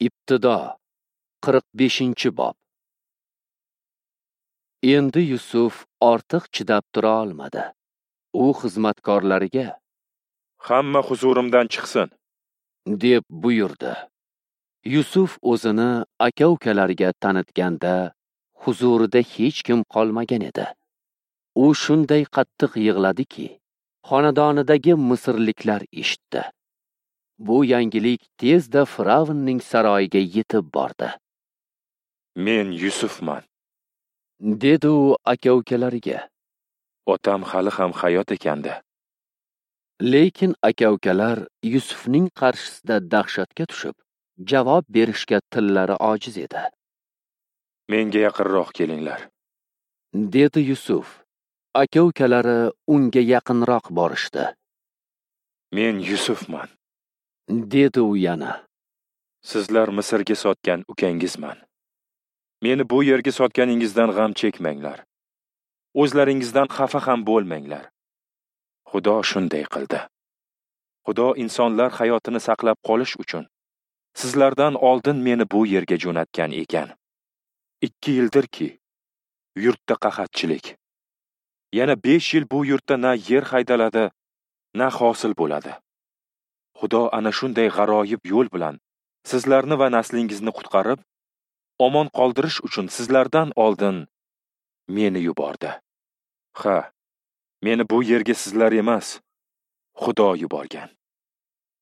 Ibtido 45-bob. Endi Yusuf ortiq chidab tura olmadi. U xizmatkorlariga: "Hamma huzurimdan chiqsin", deb buyurdi. Yusuf o'zini aka-ukalariga tanitganda huzurida hech kim qolmagan edi. U shunday qattiq yig'ladiki, xonadonidagi misrliklar eshitdi. Bu yangilik tezda Firavnning saroyiga yetib bordi. "Men Yusufman", dedi u aka-ukalariga. "Otam hali ham hayot ekanda." Lekin aka-ukalar Yusufning qarshisida dahshatga tushib, javob berishga tillari ojiz edi. "Menga yaqinroq kelinglar", dedi Yusuf. Aka-ukalari unga yaqinroq borishdi. "Men Yusufman", dedi u yana. "Sizlar Misrga sotgan ukangizman. Meni bu yerga sotganingizdan g'am chekmanglar. O'zlaringizdan xafa ham bo'lmanglar. Xudo shunday qildi. Xudo insonlar hayotini saqlab qolish uchun sizlardan oldin meni bu yerga jo'natgan ekan. 2 yildirki, yurtda qahatchilik. Yana 5 yil bu yurtda na yer haydaladi, na hosil bo'ladi. Xudo ana shunday g'aroyib yo'l bilan sizlarni va naslingizni qutqarib, omon qoldirish uchun sizlardan oldin meni yubordi. Ha, meni bu yerga sizlar emas, Xudo yuborgan.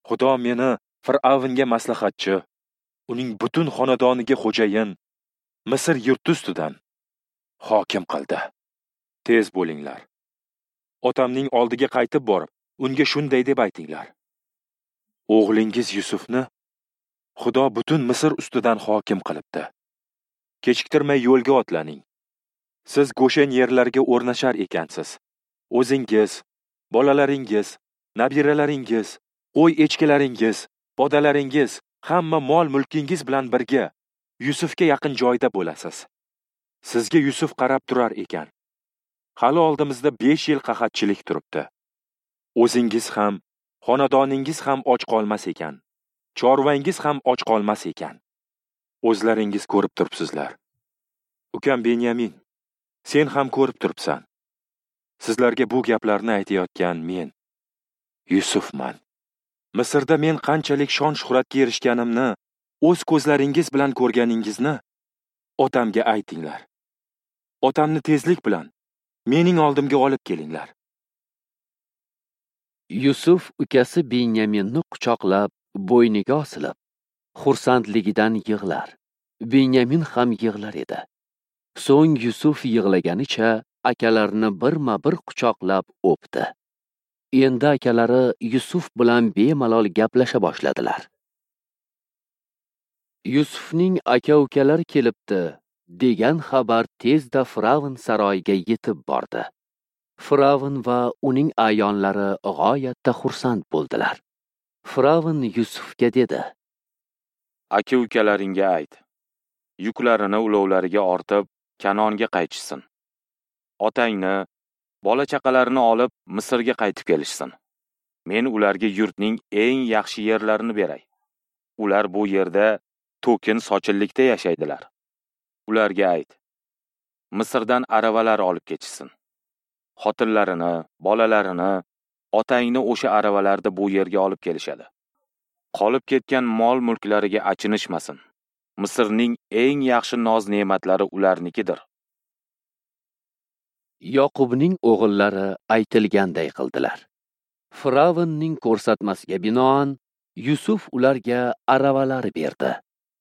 Xudo meni Fir'avnga maslahatchi, uning butun xonadoniga xo'jayin, Misr yurti ustidan hokim qildi. Tez bo'linglar. Otamning oldiga qaytib borib, unga shunday deb aytinglar: O'g'lingiz Yusufni Xudo butun Misr ustidan hokim qilibdi. Kechiktirmay yo'lga otlaning. Siz Goshen yerlariga o'rnashar ekansiz. O'zingiz, bolalaringiz, nabiralaringiz, qo'y echkilaringiz, podalaringiz, hamma mol-mulkingiz bilan birga Yusufga yaqin joyda bo'lasiz. Sizga Yusuf qarab turar ekan. Hali oldimizda 5 yil qahatchilik turibdi. O'zingiz ham, xonadoningiz ham och qolmas ekan. Chorvangiz ham och qolmas ekan. O'zlaringiz ko'rib turibsizlar. Ukam Benyamin, sen ham ko'rib turibsan. Sizlarga bu gaplarni aytayotgan men, Yusufman. Misrda men qanchalik shon-shuhratga erishganimni o'z ko'zlaringiz bilan ko'rganingizni otamga aytinglar. Otamni tezlik bilan mening oldimga olib kelinglar." Yusuf ukasi Benyaminni quchoqlab, bo'yniga osilib, xursandligidan yig'lar. Benyamin ham yig'lar edi. So'ng Yusuf yig'laganicha akalarini birma-bir quchoqlab o'pdi. Endi akalari Yusuf bilan bemalol gaplasha boshladilar. Yusufning aka-ukalari kelibdi degan xabar tezda Firavn saroyiga yetib bordi. Firavn va uning a'yonlari g'oyatda xursand bo'ldilar. Firavn Yusufga dedi: "Aka-ukalaringga ayt, yuklarini ulovlariga ortib, Kanonga qaytishsin. Otangni, bola-chaqalarini olib Misrga qaytib kelishsin. Men ularga yurtning eng yaxshi yerlarini beray. Ular bu yerda to'kin sochillikda yashaydilar. Ularga ayt, Misrdan aravalar olib ketishsin. Xotinlarini, bolalarini, otangni o'sha aravalarda bu yerga olib kelishadi. Qolib ketgan mol-mulklariga achinishmasin. Misrning eng yaxshi noz-ne'matlari ularnikidir." Yoqubning o'g'illari aytilganday qildilar. Firavnning ko'rsatmasiga binoan Yusuf ularga aravalar berdi.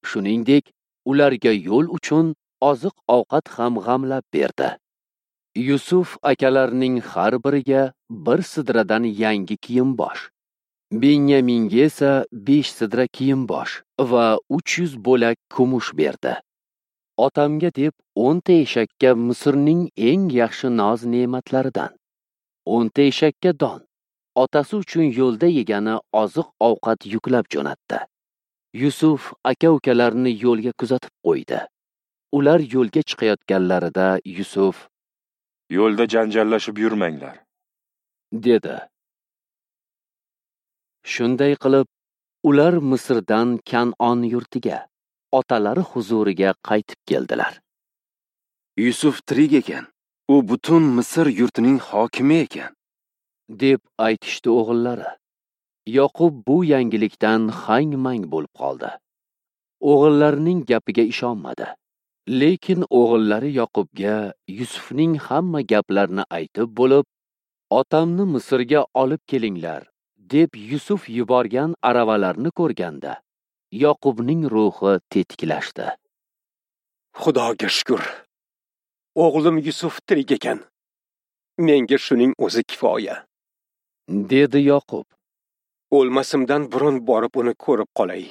Shuningdek, ularga yo'l uchun oziq-ovqat ham g'amlab berdi. Yusuf akalarining har biriga bir sidradan yangi kiyim-bosh, Benyaminga esa 5 sidra kiyim-bosh va 300 bo'lak kumush berdi. Otamga deb 10 ta eshakka Misrning eng yaxshi noz-ne'matlaridan, 10 ta eshakka don, otasi uchun yo'lda yegani oziq-ovqat yuklab jo'natdi. Yusuf aka-ukalarini yo'lga kuzatib qo'ydi. Ular yo'lga chiqayotganlarida Yusuf: "Yo'lda janjallashib yurmanglar", dedi. Shunday qilib, Ular Misrdan Kan'on yurtiga, otalari huzuriga qaytib keldilar. Yusuf tirik ekan. U butun Misr yurtining hokimi ekan, deb aytishdi o'g'illari. Yoqub bu yangilikdan hang-mang bo'lib qoldi. O'g'illarining gapiga ishonmadi. Lekin o'g'illari Yoqubga Yusufning hamma gaplarini aytib bo'lib, otamni Misrga olib kelinglar, deb Yusuf yuborgan aravalarni ko'rganda, Yoqubning ruhi tetiklashdi. Xudoga shukr. O'g'lim Yusuf tirik ekan. Menga shuning o'zi kifoya, dedi Yoqub. O'lmasimdan burun borib uni ko'rib qolay.